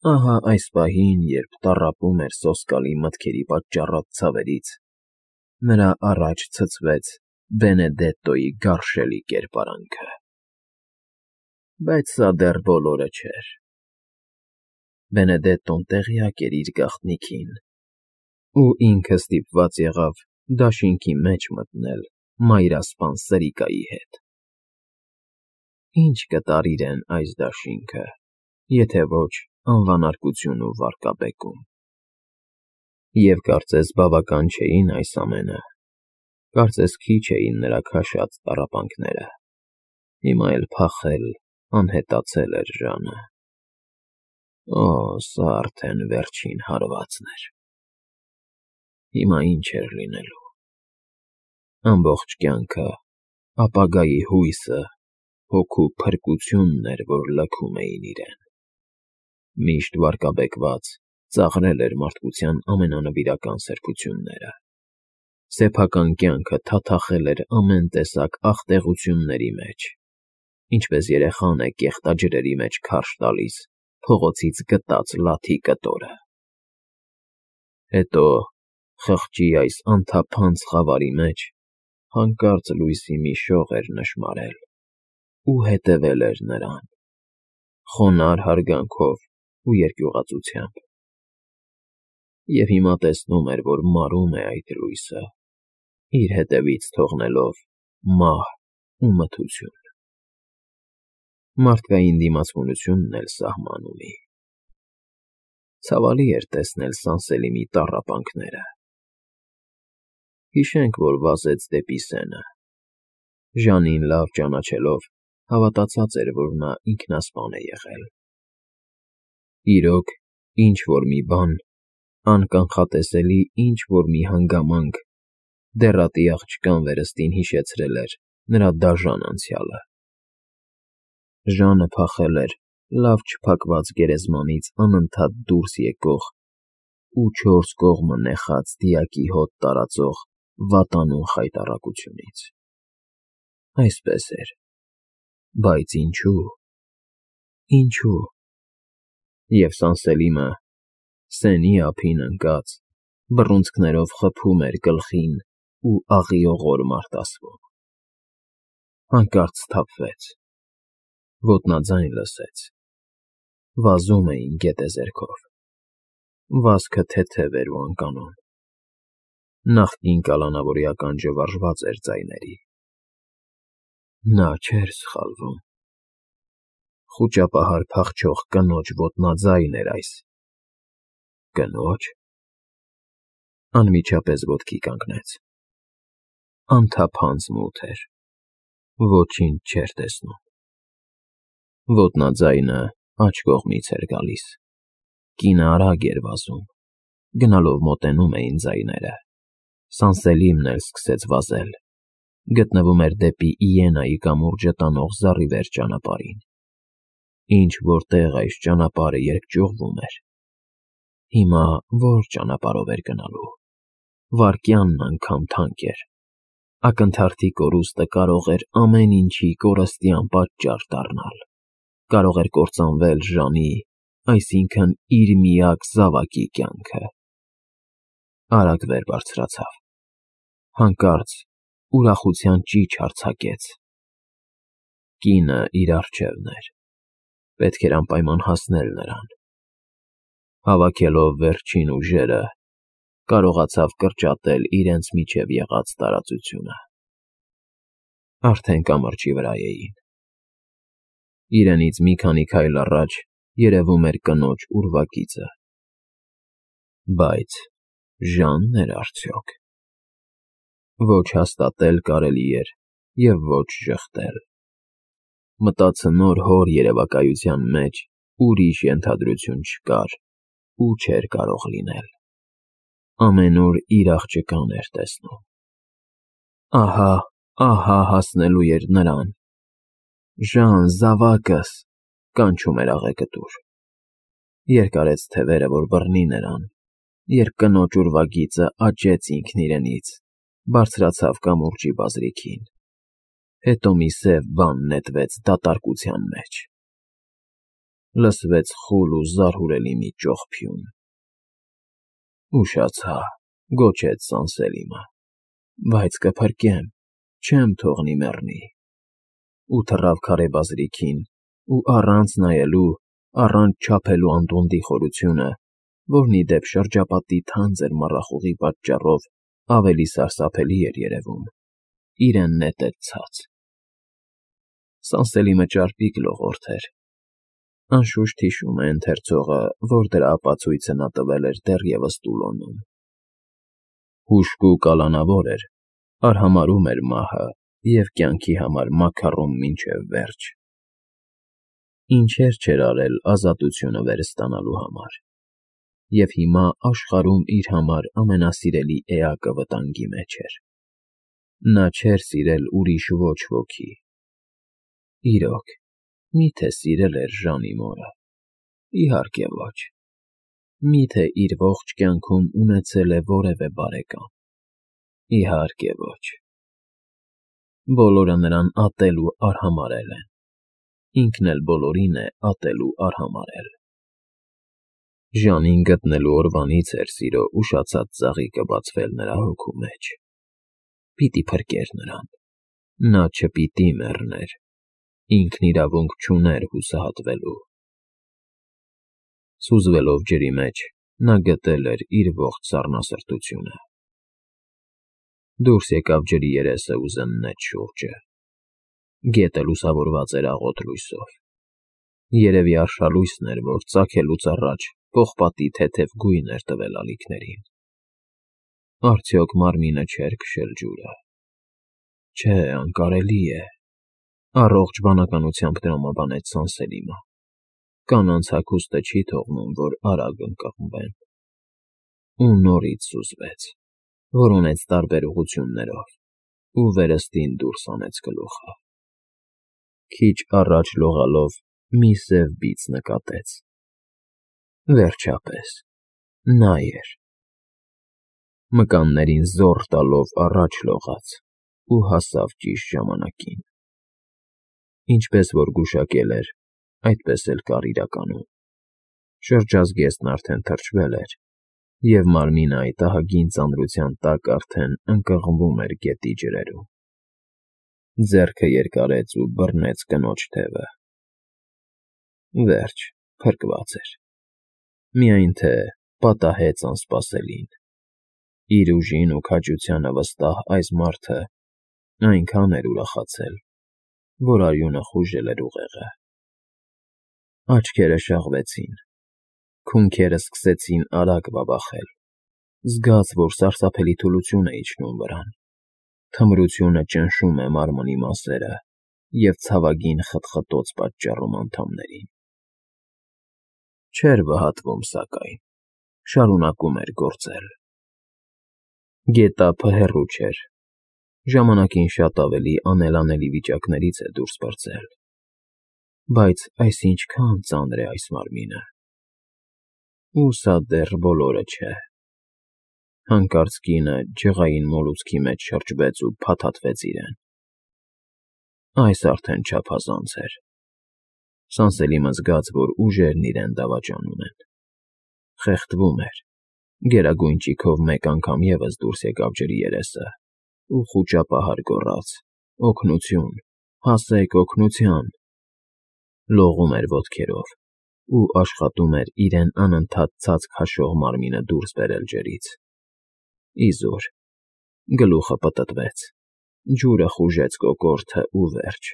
Ահա այս պահին, երբ տառապում էր սոսկալի մտքերի պատճառած ցավերից, նրա առաջ ցցվեց Բենեդետտոյի գարշելի կերպարանքը։ Բայց սա դեռ բոլորը չէր. Բենեդետտոն տեղյակ էր իր գաղտնիքին, ու ինքը ստիպված եղավ դաշինքի մեջ մտնել մայրասպան Սրիկայի հետ։ Ի՞նչ կտար իրեն այս դաշինքը, եթե ոչ անվանարկություն ու վարկաբեկում։ Եվ կարծես բավական չէին այս ամենը, կարծես քիչ էին նրա քաշած տառապանքները, հիմա էլ փախել, անհետացել էր Ժանը։ Օ, սա արդեն վերջին հարվածն էր։ Հիմա ինչ էր լինելու։ Ամբողջ կյանքը, ապագայի հույսը, հոգու փրկությունն էր, որ լքում էին իրեն։ Միշտ վարկաբեկված, ծաղրել էր մարդկության ամենանվիրական սրբությունները։ Սեփական կյանքը թաթախել էր ամեն տեսակ ախտեղությունների մեջ, ինչպես երեխան է կեղտաջրերի մեջ քարշ տալիս փողոցից գտած լաթի կտորը։ Հետո, խղճի այս անթափանց խավարի մեջ հանկարծ լույսի մի շող էր նշմարել ու հետևել էր նրան, խոնարհ հարգանքով ու երկյուղածությամբ։ Եվ հիմա տեսնում էր, որ մարում է այդ լույսը, իր հետևից թողնելով մահ ու մթություն։ Մարդկային դիմացկունությունն էլ սահման ունի։ Ցավալի էր տեսնել Սանսելիմի տառապանքները։ Հիշենք, որ վազեց դեպի սենը։ Ժանին լավ ճանաչելով, հավատացած էր, որ նա ինքնասպան է եղել։ Իրոք, ինչ-որ մի բան, անկանխատեսելի ինչ-որ մի հանգամանք դեռատի աղջկան վերստին հիշեցրել էր նրա դաժան անցյալը։ Ժանը փախել էր լավ չփակված գերեզմանից անընդհատ դուրս եկող ու չորս կողմը նեխած դիակի հոտ տարածող վատանուն խայտառակությունից։ Այսպես էր։ Բայց ինչու՞։ Ինչու՞։ Եվ Սանսելիմը, սենի ափին ընկած, բռունցքներով խփում էր գլխին ու աղիողոր մարտասվում։ Հանկարծ սթափվեց։ Ոտնաձայն լսեց։ Վազում էին գետեզերքով։ Վազքը թեթև էր ու անկանոն։ Նախկին կալանավորի ականջը վարժված էր ձայների։ Նա չէր սխալվում։ Խուճապահար փախչող կնոջ ոտնաձայն էր այս։ Կնո՞ջ։ Անմիջապես ոտքի կանգնեց։ Անթափանց մութ էր։ Ոչինչ չէր տեսնում։ Ոտնաձայնը աջ կողմից էր գալիս։ Կինը արագ էր վազում։ Գնալով մոտենում էին ձայները։ Սանսելիմն էլ սկսեց վազել։ Գտնվում էր դեպի Իենայի կամուրջը տանող զառիվեր ճանապարհին։ Ինչ-որ տեղ այս ճանապարհը երկճյուղվում էր։ Հիմա ո՞ր ճանապարհով էր գնալու։ Վայրկյանն անգամ թանկ էր։ Ակնթարթի կորուստը կարող էր ամեն ինչի կորստյան պատճառ դառնալ։ Կարող էր կործանվել Ժանի, այսինքն՝ իր միակ զավակի կյանքը։ Արագ վեր բարձրացավ։ Հանկարծ ուրախության ճիչ արձակեց։ Կինը իր առջևն էր։ Պետք էր անպայման հասնել նրան։ Հավաքելով վերջին ուժերը, կարողացավ կրճատել իրենց միջև եղած տարածությունը։ Արդեն կամրջի վրա էին։ Իրենից մի քանի քայլ առաջ երևում էր կնոջ ուրվագիծը։ Բայց Ժա՞նն էր արդյոք։ Ոչ հաստատել կարելի էր և ոչ ժխտել։ Մտածնոր հոր երևակայության մեջ ուրիշ ենթադրություն չկար ու չէր կարող լինել։ Ամենուր իր աղջկան էր տեսնում։ Ահա հասնելու էր նրան։ Ժան, զավակս, կանչում էր աղեղկտուր։ Երկարեց թևերը, որ բռնի նրան, երբ կնոջ ուրվագիծը աճեց ինքն իրենից, բարձրացավ կամուրջի բազրիքին։ Հետո մի սև բան նետվեց դատարկության մեջ։ լսվեց խուլ ու զարհուրելի մի ճողփյուն։ «Ուշացա», գոչեց Սանսելիմը, «բայց կփրկեմ, չեմ թողնի մեռնի»։ Ու թռավ քարե բազրիքին, ու առանց նայելու, առանց չափելու Անդոնդի խորությունը, որն ի դեպ շրջապատի թանձր մառախուղի պատճառով ավելի սարսափելի էր երևում, իրեն նետեց ցած։ Սանսելիմը ճարպիկ լողորդ էր։ Անշուշտ հիշում է ընթերցողը, որ դրա ապացույցը նա տվել էր դեռևս Տուլոնում։ Հուժկու կալանավոր էր, արհամարհում էր մահը և կյանքի համար մաքարում մինչև վերջ։ Ինչեր չէր արել ազատությունը վերստանալու համար։ Եվ հիմա աշխարհում իր համար ամենասիրելի էակը վտանգի մեջ էր։ Նա չէր սիրել ուրիշ ոչ ոքի։ Իրոք, մի՞թե սիրել էր Ժանի մորը։ Իհարկե ոչ։ Մի՞թե իր ողջ կյանքում ունեցել է որևէ բարեկամ։ Իհարկե ոչ։ Բոլորը նրան ատել ու արհամարհել են։ Ինքն էլ բոլորին է ատել ու արհամարհել։ Ժանին գտնելու օրվանից էր սիրո ուշացած ծաղիկը բացվել նրա հոգու մեջ։ Պիտի փրկեր նրան։ Նա չպիտի մեռներ։ Ինքն իրավունք չուներ հուսահատվելու։ Սուզվելով ջրի մեջ, նա գտել էր իր ողջ սառնասրտությունը։ Դուրս եկավ ջրի երեսը ու զննեց շուրջը։ Գետը լուսավորված էր աղոտ լույսով։ Երևի արշալույսն էր, որ ծագելուց առաջ պողպատի թեթև գույն էր տվել ալիքներին։ Արդյոք մարմինը չէր քշել ջուրը։ Չէ, անկարելի է։ Առողջ բանականությամբ տրամաբանեց Սանսելիմը։ Կանանց հագուստը չի թողնում, որ արագ ընկղմվեն։ Ու նորից սուզվեց, որոնեց տարբեր ուղղություններով, ու վերստին դուրս հանեց գլուխը։ Քիչ առաջ լողալով մի սև բիծ նկատեց։ Վերջապես, նա էր։ Մկաններին զոռ տալով առաջ լողաց ու հասավ ճիշտ ժամանակին։ Ինչպես որ գուշակել էր, այդպես էլ կար իրականում։ Շրջազգեստն արդեն թրջվել էր, և մարմինը այդ ահագին ծանրության տակ արդեն ընկղմվում էր գետի ջրերում։ Ձեռքը երկարեց ու բռնեց կնոջ թևը։ Վերջ, փրկված էր։ Միայն թե պատահեց անսպասելին։ Իր ուժին ու քաջությանը վստահ այս մարդը այնքան էր ուրախացել, որ արյունը խուժել էր ուղեղը։ Աչքերը շաղվեցին։ Քունքերը սկսեցին արագ բաբախել։ Զգաց, որ սարսափելի թուլություն է իջնում վրան։ Թմրությունը ճնշում է մարմնի մասերը և ցավագին խտխտոց պատճառում անդամներին։ Չէր վհատվում, սակայն, շարունակում էր գործել։ Գետափը հեռու չէր։ Ժամանակին շատ ավելի անելանելի վիճակներից է դուրս պրծել։ Բայց այս ինչքան ծանր է այս մարմինը։ Ու սա դեռ բոլորը չէ։ Հանկարծ կինը ջղային մոլուցքի մեջ շրջվեց ու փաթաթվեց իրեն։ Այս արդեն չափազանց էր։ Սանսելիմը զգաց, որ ուժերն իրեն դավաճանում են։ Խեղդվում էր։ Գերագույն ճիգով մեկ անգամ ևս դուրս եկավ ջրի երեսը ու խուճապահար գոռաց. «Օգնություն, հասեք, օգնության»։ Լողում էր ոտքերով ու աշխատում էր իրեն անընդհատ ցած քաշող մարմինը դուրս բերել ջրից։ Իզուր։ Գլուխը պտտվեց։ Ջուրը խուժեց կոկորդը ու վերջ։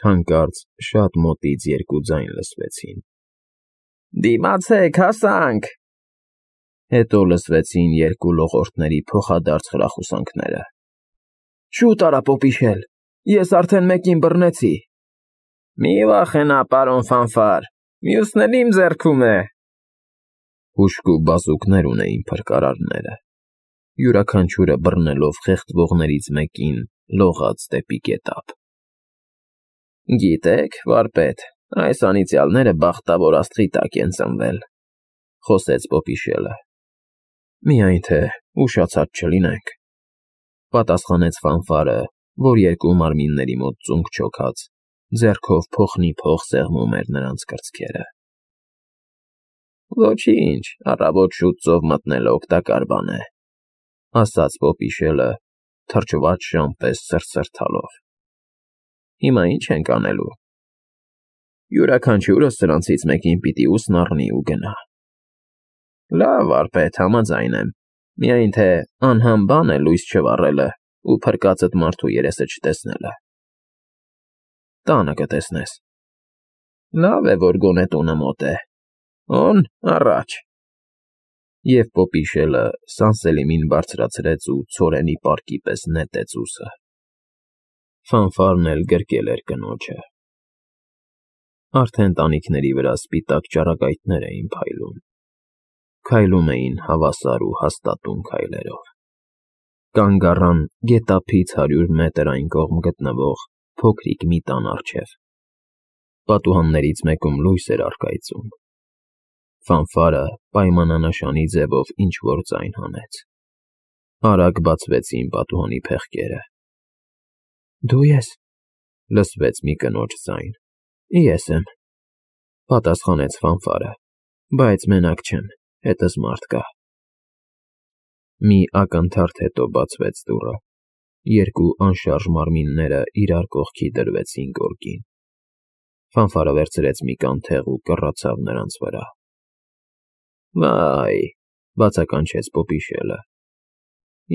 Հանկարծ շատ մոտից երկու ձայն լսվեցին. «Դիմացեք, հասանք»։ Հետո լսվեցին երկու լողորդների փոխադարձ խրախուսանքները։ «Շուտ արա, պոպիշել, ես արդեն մեկին բռնեցի»։ «Մի վախենա, պարոն Ֆանֆար, մյուսն էլ իմ ձեռքում է»։ Հուժկու բազուկներ ունեին փրկարարները։ Յուրաքանչյուրը բռնելով խեղդվողներից մեկին լողաց դեպի գետափ։ «Գիտեք, վարպետ, այս անիծյալները բախտավոր աստղի տակ են ծնվել», խոսեց պոպիշելը։ «Միայն թե ուշացած չլինենք», պատասխանեց Ֆանֆարը, որ երկու մարմինների մոտ ծունկ չոքած ձեռքով փոխնի փող սեղմում էր նրանց կրծքերը։ Ոչինչ, առավոտ շուտ ծով մտնելը օգտակար բան է, ասաց Պոպիշելը, թրջված շան պես սրսրթալով։ Հիմա ինչ ենք անելու։ Յուրաքանչյուրս սրանցից մեկին պիտի ուսն առնի ու գնա։ Լավ, վարպետ, համաձայն եմ, միայն թե անհամ բան է լույս չվառելը ու փրկածդ մարդու երեսը չտեսնելը։ Տանը կտեսնես։ Լավ է, որ գոնե տունը մոտ է։ Օն, առաջ։ Եվ Պոպիշելը Սանսելիմին բարձրացրեց ու ցորենի պարկի պես նետեց ուսը։ Ֆանֆարն էլ գրկել էր կնոջը։ Արդեն տանիքների վրա սպիտակ ճառագայթներ էին փայլում։ Քայլում էին հավասար ու հաստատուն քայլերով։ Կանգ առան գետափից 100 մետր այն կողմ գտնվող փոքրիկ մի տան առջև։ Պատուհաններից մեկում լույս էր առկայծում։ Ֆանֆարը պայմանանշանի ձևով ինչ-որ ձայն հանեց։ Արագ բացվեցին պատուհանի փեղկերը։ Դու ես, լսվեց մի կնոջ ձայն։ Ես եմ, պատասխանեց Ֆանֆարը, բայց մենակ չեմ, հետս մարդ կա։ Մի ակնթարթ հետո բացվեց դուռը։ Երկու անշարժ մարմինները իրար կողքի դրվեցին գորգին։ Ֆանֆարը վերցրեց մի կանթեղ ու կռացավ նրանց վրա։ Վայ, բացականչեց Պոպիշելը։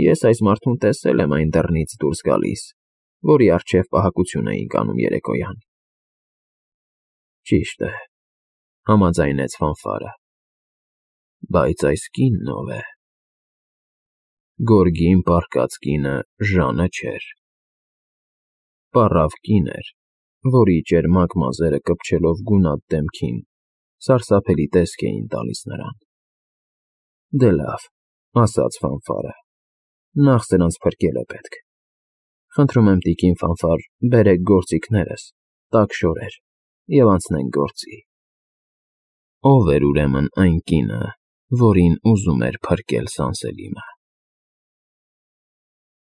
Ես այս մարդուն տեսել եմ այն դռնից դուրս գալիս, որի առջև պահակություն էինք անում երեկոյան։ Ճիշտ է, համաձայնեց Ֆանֆարը։ Բայց այս կինն ով է։ Գորգին պառկած կինը Ժանը չէր։ Պառավ կին էր, որի ճերմակ մազերը կպչելով գունատ դեմքին սարսափելի տեսք էին տալիս նրան։ Դե լավ, ասաց Ֆանֆարը, նախ սրանց փրկելը պետք։ Խնդրում եմ, տիկին Ֆանֆար, բերեք գործիքներս, տաք շորեր, և անցնենք գործի։ Ո՞վ էր ուրեմն այն կինը, որին ուզում էր փրկել Սանսելիմը։